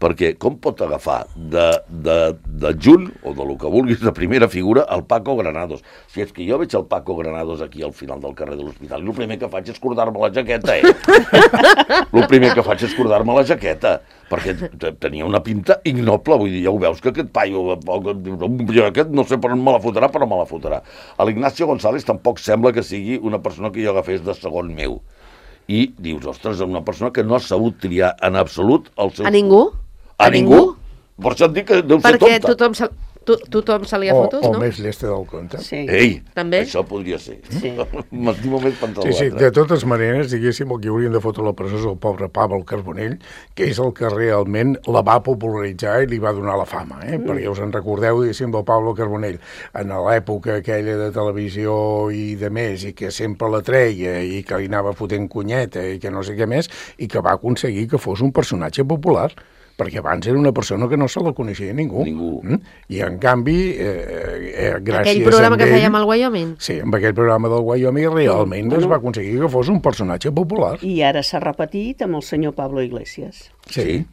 Perquè com pot agafar de, de, de Jun, o de lo que vulguis, de primera figura, el Paco Granados? Si és que jo veig el Paco Granados aquí al final del carrer de l'Hospital, i el primer que faig és cordar-me la jaqueta, eh? El primer que faig és cordar-me la jaqueta, perquè tenia una pinta ignoble, vull dir, ja ho veus que aquest paio, jo aquest no sé per on me la fotrà, però me la fotrà. A l'Ignacio González tampoc sembla que sigui una persona que jo agafés de segon meu. I dius, ostres, una persona que no ha sabut triar en absolut el seu... A ningú? A ningú? Per això et dic que deu ser Perquè tonta. tothom se... To tothom se li ha o, fotos, o no? més llesta del compte. Sí. Ei, També? això podria ser. Sí. M'estimo més pensar Sí, sí, l'altre. de totes maneres, diguéssim, el que haurien de fotre a la presó és el pobre Pablo Carbonell, que és el que realment la va popularitzar i li va donar la fama, eh? Mm. Perquè us en recordeu, diguéssim, del Pablo Carbonell, en l'època aquella de televisió i de més, i que sempre la treia, i que li anava fotent cunyeta, i que no sé què més, i que va aconseguir que fos un personatge popular, perquè abans era una persona que no se la coneixia ningú. Ningú. Mm? I, en canvi, eh, eh, gràcies Aquell programa a que ell... fèiem al Wyoming? Sí, amb aquell programa del Wyoming realment Bueno. es va aconseguir que fos un personatge popular. I ara s'ha repetit amb el senyor Pablo Iglesias. Sí.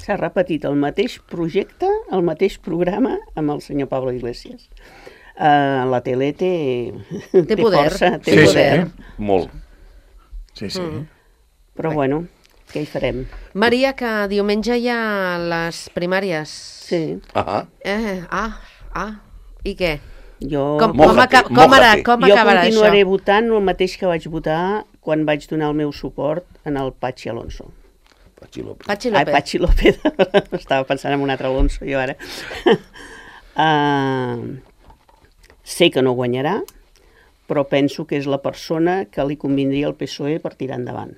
S'ha repetit el mateix projecte, el mateix programa amb el senyor Pablo Iglesias. Uh, la tele té, Té poder. força, té Sí, poder. sí. Molt. Sí, sí. Mm. Però bueno, què hi farem? Maria, que diumenge hi ha les primàries. Sí, Ah, Eh, ah, ah, i què? jo, Com, com, Mójate, aca com, ara, mójate. com jo acabarà continuaré això? votant el mateix que vaig votar quan vaig donar el meu suport en el Patxi Alonso. Patxi López. Patxi Ai, López. Patxi López. Estava pensant en un altre Alonso, jo ara. uh, sé que no guanyarà, però penso que és la persona que li convindria al P S O E per tirar endavant.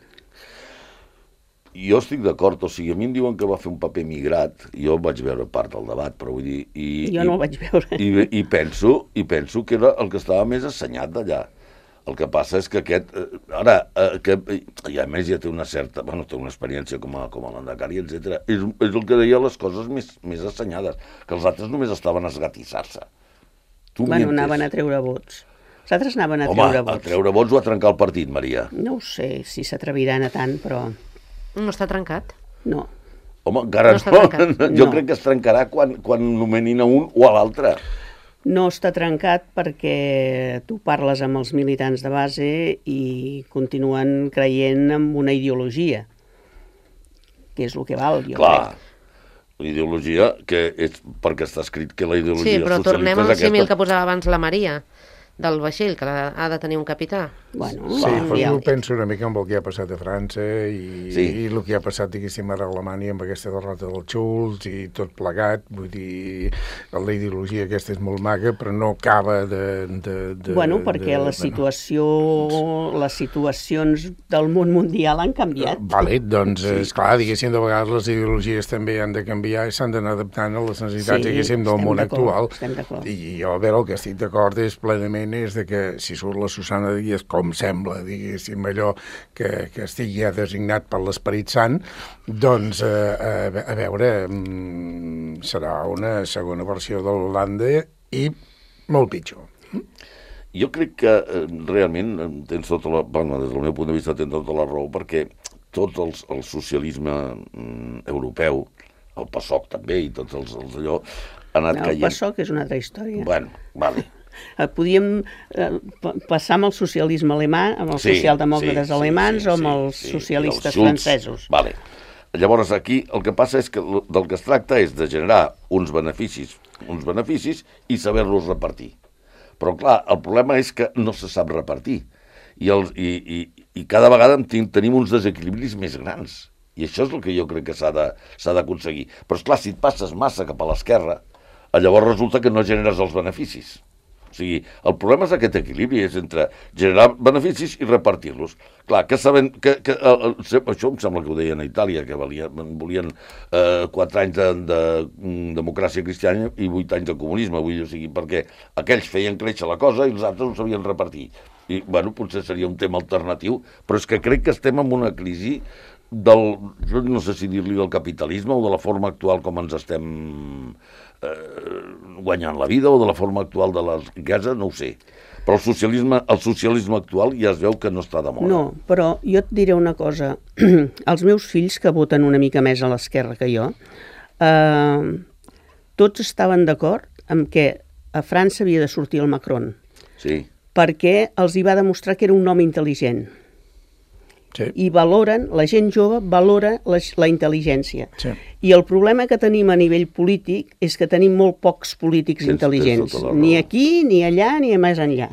Jo estic d'acord, o sigui, a mi em diuen que va fer un paper migrat, jo vaig veure part del debat, però vull dir... I, Jo i, no el vaig veure. I, i, penso, I penso que era el que estava més assenyat d'allà. El que passa és que aquest... Eh, ara, eh, que, i a més ja té una certa... Bueno, té una experiència com a, com a landacari, etcètera. És, és el que deia les coses més, més assenyades, que els altres només estaven a esgatissar-se. Tu Bueno, mientes. anaven a treure vots. Els altres anaven a Home, treure a vots. treure vots o a trencar el partit, Maria. No ho sé si s'atreviran a tant, però No està trencat? no. Home, encara No no. està trencat. Jo No. crec que es trencarà quan, quan nomenin a un o a l'altre. No està trencat perquè tu parles amb els militants de base i continuen creient en una ideologia, que és el que val, jo Clar, crec. la ideologia, que és perquè està escrit que la ideologia Sí, però socialista tornem és al símil aquesta. que posava abans la Maria, del vaixell, que ha de tenir un capità. Bueno, Sí, però ja jo ho dic. penso una mica amb el que ha passat a França i, Sí. i el que ha passat, diguéssim, ara a Alemanya amb aquesta derrota del Schulz i tot plegat. Vull dir, la ideologia aquesta és molt maca, però no acaba de... de, de Bueno, perquè de, la situació, les situacions del món mundial han canviat. Vale, doncs, Sí. sí. esclar, diguéssim, de vegades les ideologies també han de canviar i s'han d'anar adaptant a les necessitats, Sí, diguéssim, del estem món d'acord, actual. estem d'acord. I jo, a veure, el que estic d'acord és plenament és de que si surt la Susana Díaz, com sembla, diguéssim, allò que, que estigui ja designat per l'Esperit Sant, doncs, eh, a, a veure, mm, serà una segona versió de l'Holanda i molt pitjor. Jo crec que eh, realment eh, tens tota la... Bueno, des del meu punt de vista tens tota la raó, perquè tot el, el socialisme mm, europeu, el PASOK també, i tots els, els allò, ha anat El caient. PASOK és una altra història. Bueno, vale. Eh, Podíem eh, pa- passar amb el socialisme alemà, amb els Sí, socialdemòcrates sí, alemans sí, o amb sí, els sí, socialistes i els Schulz. francesos. Vale. Llavors aquí el que passa és que l- del que es tracta és de generar uns beneficis, uns beneficis i saber-los repartir. Però clar, el problema és que no se sap repartir i, els, i, i, i cada vegada en ten- tenim uns desequilibris més grans. I això és el que jo crec que s'ha de, s'ha d'aconseguir. Però esclar, si et passes massa cap a l'esquerra, llavors resulta que no generes els beneficis. O sigui, el problema és aquest equilibri, és entre generar beneficis i repartir-los. Clar, que saben... Que, que, el, el, això em sembla que ho deien a Itàlia, que valia, volien eh, quatre anys de, de, de democràcia cristiana i vuit anys de comunisme, vull dir, o sigui, perquè aquells feien créixer la cosa i els altres ho sabien repartir. I, bueno, potser seria un tema alternatiu, però és que crec que estem en una crisi del, jo no sé si dir-li del capitalisme o de la forma actual com ens estem eh, guanyant la vida o de la forma actual de la riquesa, no ho sé. Però el socialisme, el socialisme actual ja es veu que no està de moda. No, però jo et diré una cosa. Els meus fills, que voten una mica més a l'esquerra que jo, eh, tots estaven d'acord amb que a França havia de sortir el Macron, Sí. perquè els hi va demostrar que era un home intel·ligent. Sí. I valoren, la gent jove valora la, la intel·ligència. Sí. I el problema que tenim a nivell polític és que tenim molt pocs polítics Tens- intel·ligents, tens tota la raó. ni aquí, ni allà, ni més enllà.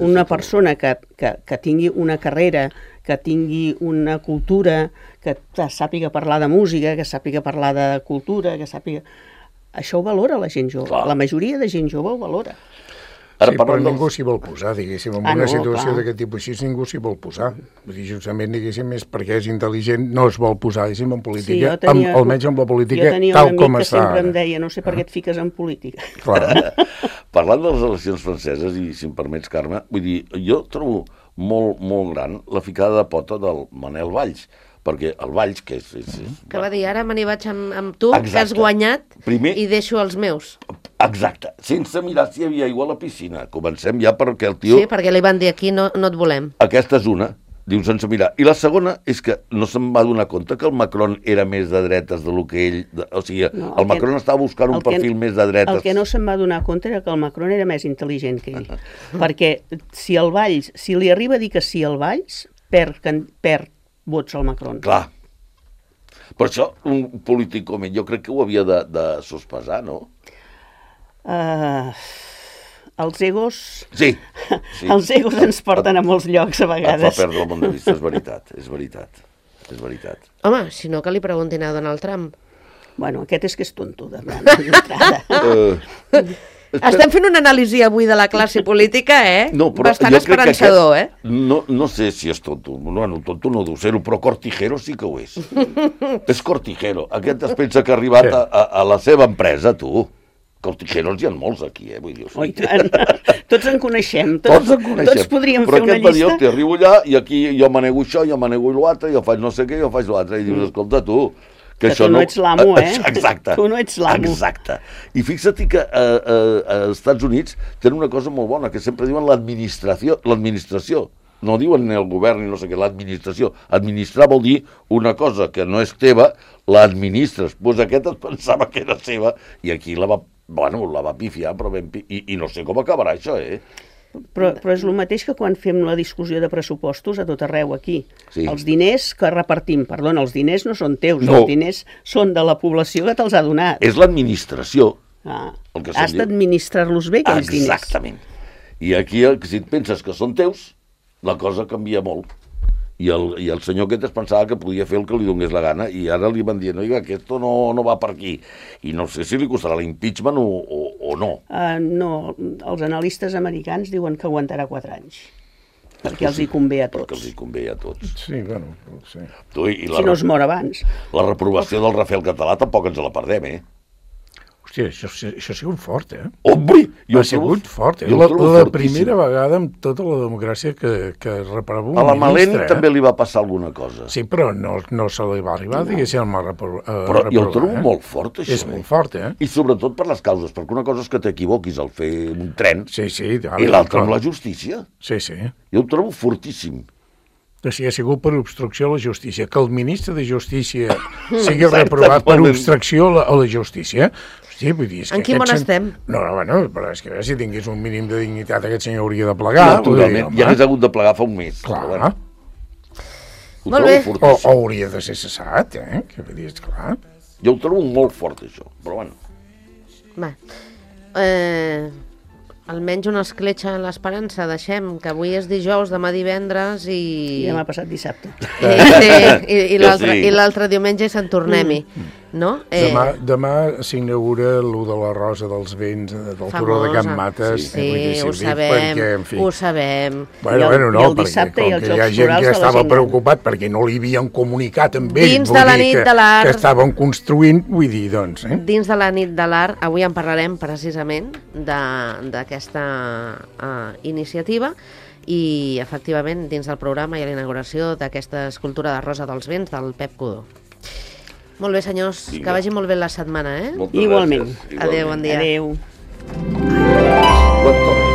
Una persona que, que, que tingui una carrera, que tingui una cultura, que sàpiga parlar de música, que sàpiga parlar de cultura, que sàpiga... això ho valora la gent jove. Clar. La majoria de gent jove ho valora. Ara, sí, però dels... ningú s'hi vol posar, diguéssim. En ah, una no, situació clar. d'aquest tipus així ningú s'hi vol posar. Vull dir, justament, diguéssim, és perquè és intel·ligent, no es vol posar, diguéssim, en política, sí, tenia, amb, almenys amb la política tal com està. Jo tenia un amic que sempre ara. em deia, no sé per què et fiques en política. Clar. Parlant de les eleccions franceses, i si em permets, Carme, vull dir, jo trobo molt, molt gran la ficada de pota del Manel Valls, perquè el Valls, que és... és, és que va dir, ara me n'hi vaig amb, amb tu, exacte. Que has guanyat, Primer... i deixo els meus. Exacte, sense mirar si hi havia aigua a la piscina. Comencem ja perquè el tio... Sí, perquè li van dir aquí no, no et volem. Aquesta és una, diu sense mirar. I la segona és que no se'n va donar compte que el Macron era més de dretes del que ell... De, o sigui, no, el, el Macron que, estava buscant un perfil que, més de dretes. El que no se'n va donar compte era que el Macron era més intel·ligent que ell. Perquè si el Valls, si li arriba a dir que sí al Valls, perd, perd vots al Macron. Clar. Per això, un polític com ell, jo crec que ho havia de, de sospesar, no? Uh, els egos... Sí, sí. Els egos ens porten a molts llocs, a vegades. Et fa perdre el món de vista, és veritat, és veritat, és veritat. Home, si no que li preguntin a Donald Trump. Bueno, aquest és que és tonto, d'entrada. uh, Estem fent una anàlisi avui de la classe política, eh? No, bastant esperançador, aquest, eh? No, no sé si és tonto, no, no, tonto no deu ser-ho, però cortijero sí que ho és. És cortijero. Aquest es pensa que ha arribat a, a, a la seva empresa, tu. Cortijeros hi ha molts aquí, eh? Vull dir, oh, tots en coneixem, tots, tots, en coneixem. Tots podríem però fer una llista. Però aquest va dir, arribo allà i aquí jo manego això, jo manego l'altre, jo faig no sé què, jo faig l'altre, i dius, escolta, tu... Que, que tu no ets l'amo, eh? Exacte. Tu no ets l'amo. Exacte. I fixa't que eh, eh, als Estats Units tenen una cosa molt bona, que sempre diuen l'administració, l'administració. No diuen ni el govern ni no sé què, l'administració. Administrar vol dir una cosa que no és teva, l'administres. Doncs pues aquest es pensava que era seva i aquí la va, bueno, la va pifiar, però ben pi... I, i no sé com acabarà això, eh? Però, però és el mateix que quan fem la discussió de pressupostos a tot arreu aquí. Sí. Els diners que repartim, perdona, els diners no són teus, no. Els diners són de la població que te'ls ha donat. És l'administració. Ah, has d'administrar-los bé, aquells diners. Exactament. I aquí, si et penses que són teus, la cosa canvia molt. I el, i el senyor aquest es pensava que podia fer el que li donés la gana i ara li van dir, no, que esto no, no va per aquí. I no sé si li costarà l'impeachment o, o, o no. Uh, no, els analistes americans diuen que aguantarà quatre anys. Perquè els hi convé a tots. Perquè els hi convé a tots. Sí, bueno, sí. Tu, i la, si no es mor abans. La reprovació del Rafael Català tampoc ens la perdem, eh? Hòstia, això, això ha sigut fort, eh? Home! Ha sigut fort, eh? La, la primera vegada amb tota la democràcia que, que reprova un ministre. A la Malén eh? també li va passar alguna cosa. Sí, però no, no se li va arribar, no. Diguéssim, a reprovar. Eh, però jo el trobo eh? molt fort, això. És molt fort, eh? I sobretot per les causes, perquè una cosa és que t'equivoquis al fer un tren, sí, sí, ara, i l'altra amb la justícia. Sí, sí. Jo el trobo fortíssim. O sigui, ha sigut per obstrucció a la justícia. Que el ministre de Justícia sigui reprovat per obstrucció a la justícia... Sí, vull dir, és en quin món sen... estem? No, no, bueno, però és que si tingués un mínim de dignitat aquest senyor hauria de plegar. Naturalment, ja hagués hagut de plegar fa un mes. Clar. Bueno. Molt bé. O, o hauria de ser cessat, eh? Que vull dir, esclar. Jo ho trobo molt fort, això, però bueno. Va. Eh... Almenys una escletxa en l'esperança. Deixem que avui és dijous, demà divendres i... I demà passat dissabte. I, sí, i, i l'altre sí. I l'altre diumenge se'n tornem-hi. Mm. No? Eh... Demà, demà s'inaugura l'u de la Rosa dels Vents del Famosa. Turó de Can Mates. Sí, sí eh, ho sabem, perquè, en fi... ho sabem. Bueno, el, bueno, no, perquè com que hi ha gent que estava preocupat perquè no li havien comunicat amb ells, dins de la nit que, de l'art, que estaven construint, vull dir, doncs... Eh? Dins de la nit de l'art, avui en parlarem precisament d'aquesta uh, iniciativa i, efectivament, dins del programa hi ha l'inauguració d'aquesta escultura de Rosa dels Vents del Pep Codó. Molt bé, senyors, Vinga. Que vagi molt bé la setmana, eh? Igualment. Igualment. Adéu, bon dia. Adéu. Bon torn.